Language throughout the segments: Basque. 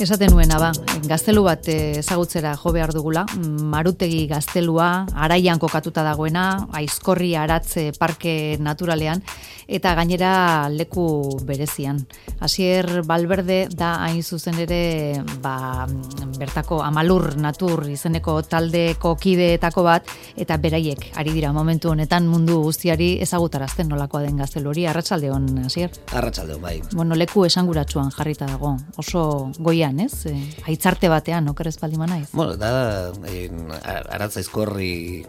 Esaten nuena gaztelu bat ezagutzera jo behar dugula, Marutegi gaztelua, Araian kokatuta dagoena, Aizkorri Aratze Parke Naturalean, eta gainera leku berezian. Asier Balberde da hain zuzen ere, bertako Amalur Natur izeneko taldeko kideetako bat, eta beraiek ari dira momentu honetan mundu guztiari ezagutarazten nolakoa den gaztelu hori. Arratsaldeon, Asier? Arratsaldeon, bai. Bueno, leku esanguratsuan jarrita dago, oso goian, ez? Aitzarte batean, okerez baldin manaiz. Bueno, da Aratz Aizkorri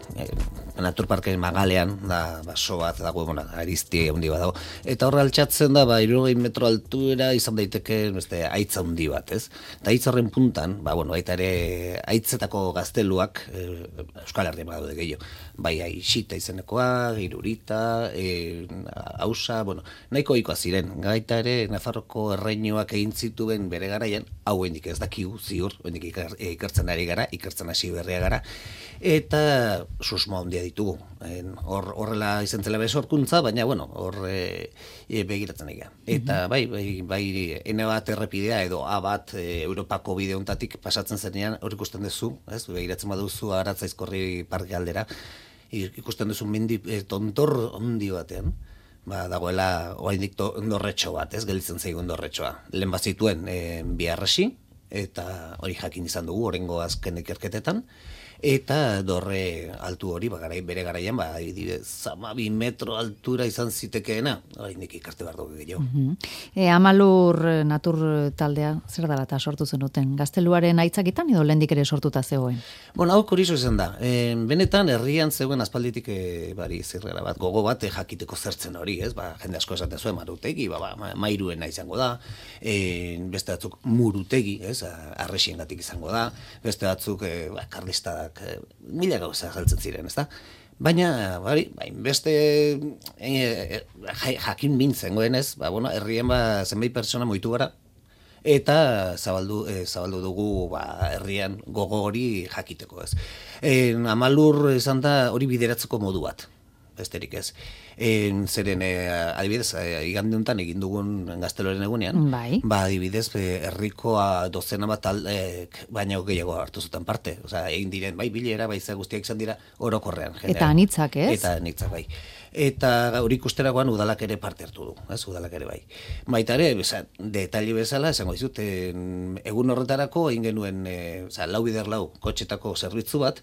Naturparke magalean, da baso bat dago, arizti handi bat dago. Eta horre altxatzen da, 60 metro altuera izan daiteke beste aitza handi bat, ez? Eta aitz horren puntan, baita ere aitzetako gazteluak Euskal Herrian badaude gehiago. Bai Aixita izenekoa, Irurita, Ausa, nahiko ohikoak ziren. Gaita ere Nafarroko erreinuak egin zituen bere garaian, hau hendik ez dakigu ziur, hendik ikertzen ari gara, ikertzen hasi berria gara, eta susmo handia ditugu. Horrela izan zela besorkuntza, baina hor begiratzen egia. Eta bai, N bat errepidea edo A bat Europako bide honetatik pasatzen zenean, hor ikusten duzu, begiratzen baduzu Aratz Aizkorri parke aldera, ikusten duzu mendi tontor handi batean, dagoela oraindik dorretxo bat, gelditzen zaigun dorretxoa. Lehen bazituen bi harresi, eta hori jakin izan dugu oraingo azken ikerketetan, eta dorre altu hori bere garaian 12 metro altura izan zitekeena, oraindik ikarte behar dugu gehiago. Amalur Natur taldea zer dela eta sortu zenuten? Gazteluaren aitzakitan edo lehendik ere sortuta zegoen? Hau kuriso izan da. Benetan herrian zegoen aspalditik zirrera bat, gogo bat jakiteko zertzen hori, ez? Jende asko esaten zuen Marutegi, Mairuena izango da, beste batzuk Murutegi, ez? Arresiengatik izango da, beste batzuk karlistadak mila gauza saltzen ziren, ezta? Baina, beste jakin mintzengoen ez, herrien zenbait pertsona moitu gara, eta zabaldu dugu herrian gogo hori jakiteko ez. Amalur izan da hori bideratzeko modu bat, besterik ez. Zeren, adibidez, igande honetan egin dugun gazteloren egunean, adibidez, herrikoa dozena bat baina gehiago hartu zuten parte. Egin diren, bilera, guztiak izan dira orokorrean. Eta anitzak, ez? Eta anitzak, bai. Eta hori ikusteragoan udalak ere parte hartu du, udalak ere bai. Baita ere, detaile bezala, esango dizut, egun horretarako egin genuen, 4x4 kotxetako zerbitzu bat,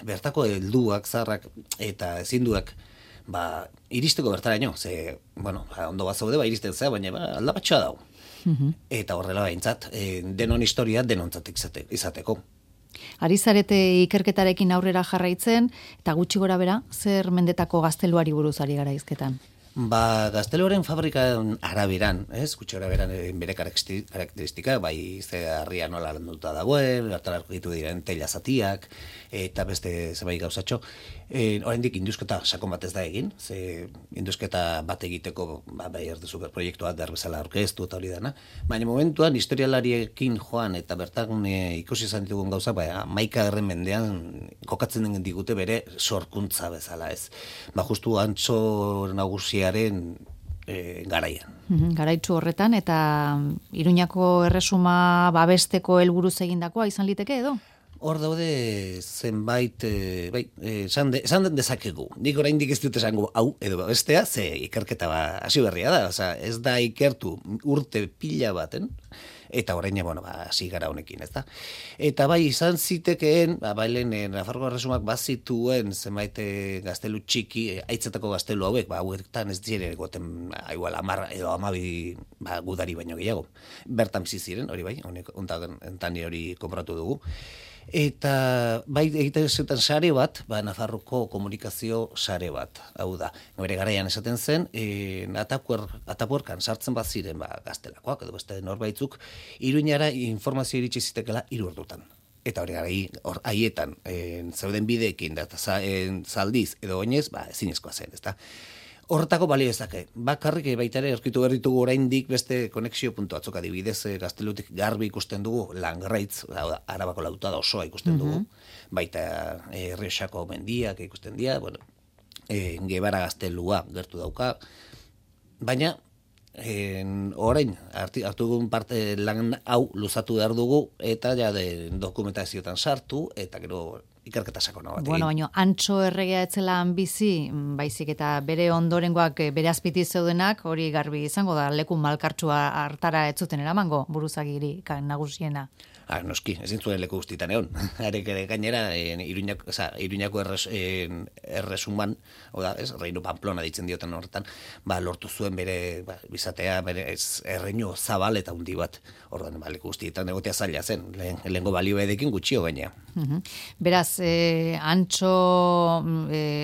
bertako helduak, zaharrak eta ezinduak, iristeko bertaraino, ondo bat zaude, iristen zea, baina aldabatxoa dago. Eta horrela behintzat, denon historia denontzat izateko. Ari zarete ikerketarekin aurrera jarraitzen, eta gutxi gora bera, zer mendetako gazteluari buruz ari gara izketan? Gazteluaren fabrikan araberan, gutxi gora beran bere karakteristika, ze harria nola landuta dagoen, hartarako ditu diren teila zatiak, eta beste zenbait gauzatxo. Oraindik indusketa sakon bat ez da egin, ze indusketa bat egiteko erde superproiektua derbezala aurkeztu eta hori dana, baina momentuan historialariekin joan eta bertan ikusi izan ditugun gauza, 11. mendean kokatzen den digute bere sorkuntza bezala ez. Justu Antso nagusiaren garaian. Garaitsu horretan, eta Iruñako erresuma babesteko helburuz egindakoa izan liteke edo? Hor daude zenbait, esan dezakegu. Nik oraindik ez dut esango hau edo bestea, ze ikerketa hasi berria da. Ez da ikertu urte pila baten, eta orain hasi gara honekin, ez da. Eta izan zitekeen, Nafarroko erresumak bazituen zenbait gaztelu txiki, aitzetako gaztelu hauek, hauetan ez dire egoten igual 10 edo 12 gudari baino gehiago. Bertan bizi ziren, hori hontan hori konpratu dugu. Eta egiten zuten sare bat, Nafarroko komunikazio sare bat, hau da. Bere garaian esaten zen, Atapuerkan sartzen bat ziren gaztelakoak, edo beste norbaitzuk, Iruñara informazio iritsi zitekela 3 ordutan. Eta hori haietan, zeuden bideekin, zaldiz edo oinez, ezinezkoa zen, ezta. Horretako balio ezake. Bakarrik baita ere aurkitu berritugu oraindik beste konexio puntu batzuk, adibidez Gaztelutik garbi ikusten dugu Langraitz, Arabako lautada osoa ikusten dugu, baita Errioxako mendiak ikusten dira, Gebara Gaztelua gertu dauka, baina orain, hartu dugun parte lan hau luzatu behar dugu, eta ja dokumentazioetan sartu, eta gero ikerketa sakona bat. Bueno, baina Antso erregea etzela bizi, baizik eta bere ondorengoak bere azpiti zeudenak, hori garbi izango da, leku malkartsua hartara ez zuten eramango buruzagiri nagusiena. Noski, ezin zuen leku guztietan egon. Arek ere gainera, Iruñako erresuman, oda, Reino Pamplona ditzen dioten horretan, lortu zuen bere bizatea, bere erreinu zabal eta hundi bat. Ordan, leku guztietan egotea zaila zen, lehengo balio edekin gutxio gaina. Beraz, Antso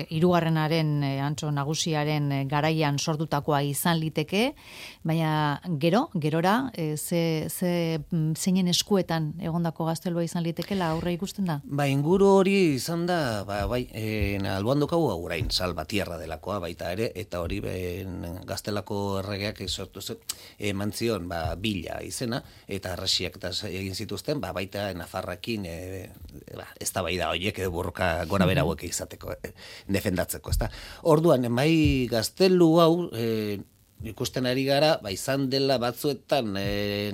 hirugarrenaren, Antso nagusiaren garaian sortutakoa izan liteke, baina gerora, zeinen eskuetan egondako gaztelua izan litekela aurre ikusten da? Inguru hori izan da, alboan dukagu orain, Salvatierra delakoa baita ere, eta hori gaztelako erregeak sortu eman zion bila izena, eta arrasiak egin zituzten, baita Nafarrakin ez da bai da horiek edo borroka gora bera hauek izateko, defendatzeko, ez da. Orduan, gaztelu hau, ikusten ari gara, izan dela batzuetan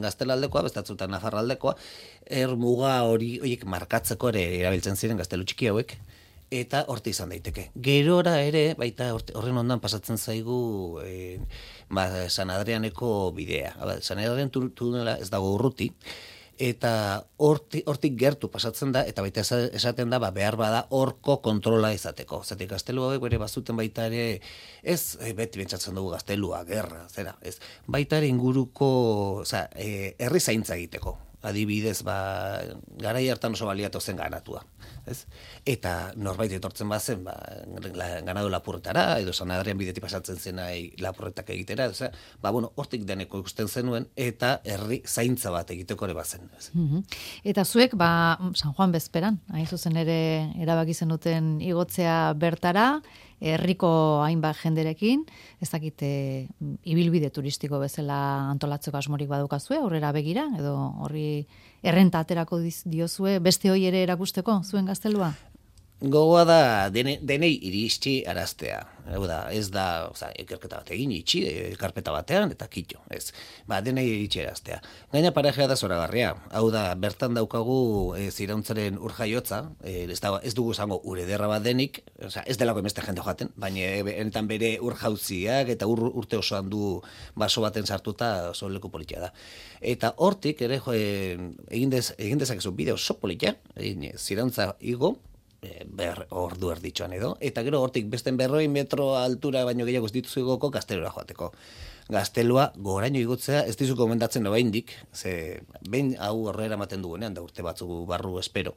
gaztelaldekoa, bestatzuetan nafarraldekoa, muga horiek markatzeko ere erabiltzen ziren gaztelu txiki hauek, eta horti izan daiteke. Gerora ere, baita horren ondan pasatzen zaigu San Adrianeko bidea. San Adrian tunela ez dago urruti, eta hortik gertu pasatzen da, eta baita esaten da, behar bada horko kontrola izateko. Zatik, gaztelu hauek bere bazuten baita ere, ez beti bentsatzen dugu gaztelua, gerra, zera, ez. Baita ere inguruko, herri zaintza egiteko. Adibidez, garai hartan oso baliatu zen ganatua. Ez? Eta norbait etortzen bazen, ganadu lapurretara, edo San Adrian bidetik pasatzen zen lapurretak egitera, hortik deneko ikusten zenuen, eta herri zaintza bat egiteko ere bazen. Eta zuek, San Juan bezperan, hain zuzen ere erabaki zenuten igotzea bertara, herriko hainbat jenderekin, ez dakite ibilbide turistiko bezala antolatzeko asmorik badukazue, aurrera begira, edo horri errenta aterako diozue, beste hoi ere erakusteko, zuen gaztelua? Gogoa da denei iristzi araztea. Ez da, ikerketa bat egin, itxi, karpeta batean, eta kitxo, ez. Denei iritsi araztea. Gaina parejea da zoragarria. Hau da, bertan daukagu zirauntzaren urjaiotza, ez dugu zango urederra bat denik, ez delako emeste jende joaten, baina enetan bere urjauziak eta urte osoan du baso baten sartuta oso leku politia da. Eta hortik, ere, egin dezakezu bide oso politia, zirauntza igo, ordu erditxoan edo, eta gero hortik besten 100 metro altura baino gehiago ez dituzu igoko gaztelura joateko. Gaztelua goraino igotzea ez dizu komendatzen oraindik, ze behin hau horrera ematen dugunean, da urte batzuk barru espero.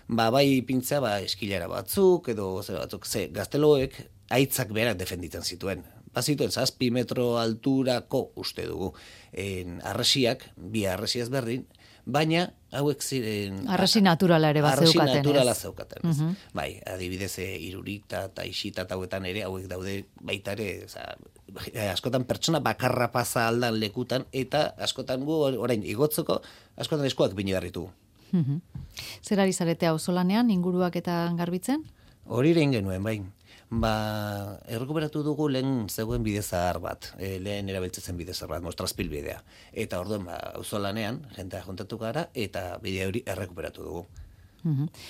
Bai pintzea, eskilara batzuk, edo batzuk, gazteloek aitzak berak defenditzen zituen. Bazituen 7 metro alturako uste dugu. Arresiak, bi arresiaz berdin, baina hauek ziren... Arresi naturala ere bat zeukaten. Arresi naturala zeukaten. Adibidez, irurita eta isita eta hauetan ere, hauek daude baita ere, askotan pertsona bakarra pasa aldan lekutan, eta askotan gu orain igotzeko, askotan eskuak bini garritu. Zer ari zarete auzolanean, inguruak eta garbitzen? Hori eren genuen, bai. Errekuperatu dugu lehen zegoen bidezahar bat, lehen erabiltzen bidezahar bat, Mostrazpil bidea. Eta orduan, auzolanean, jentea juntatu gara, eta bidea hori errekuperatu dugu.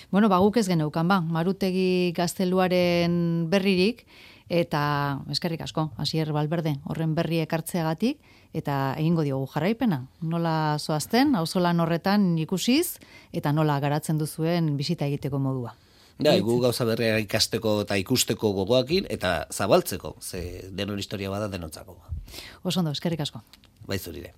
Bueno, guk ez geneukan, Marutegi gazteluaren berririk, eta eskerrik asko, Asier Valverde, horren berri ekartzeagatik, eta egingo diogu jarraipena. Nola zoazten, auzolan horretan ikusiz, eta nola garatzen duzuen bisita egiteko modua. Gu gauza berria ikasteko eta ikusteko gogoakin, eta zabaltzeko, ze denon historia bada denontzako. Oso ondo, eskerrik asko. Bai zurire.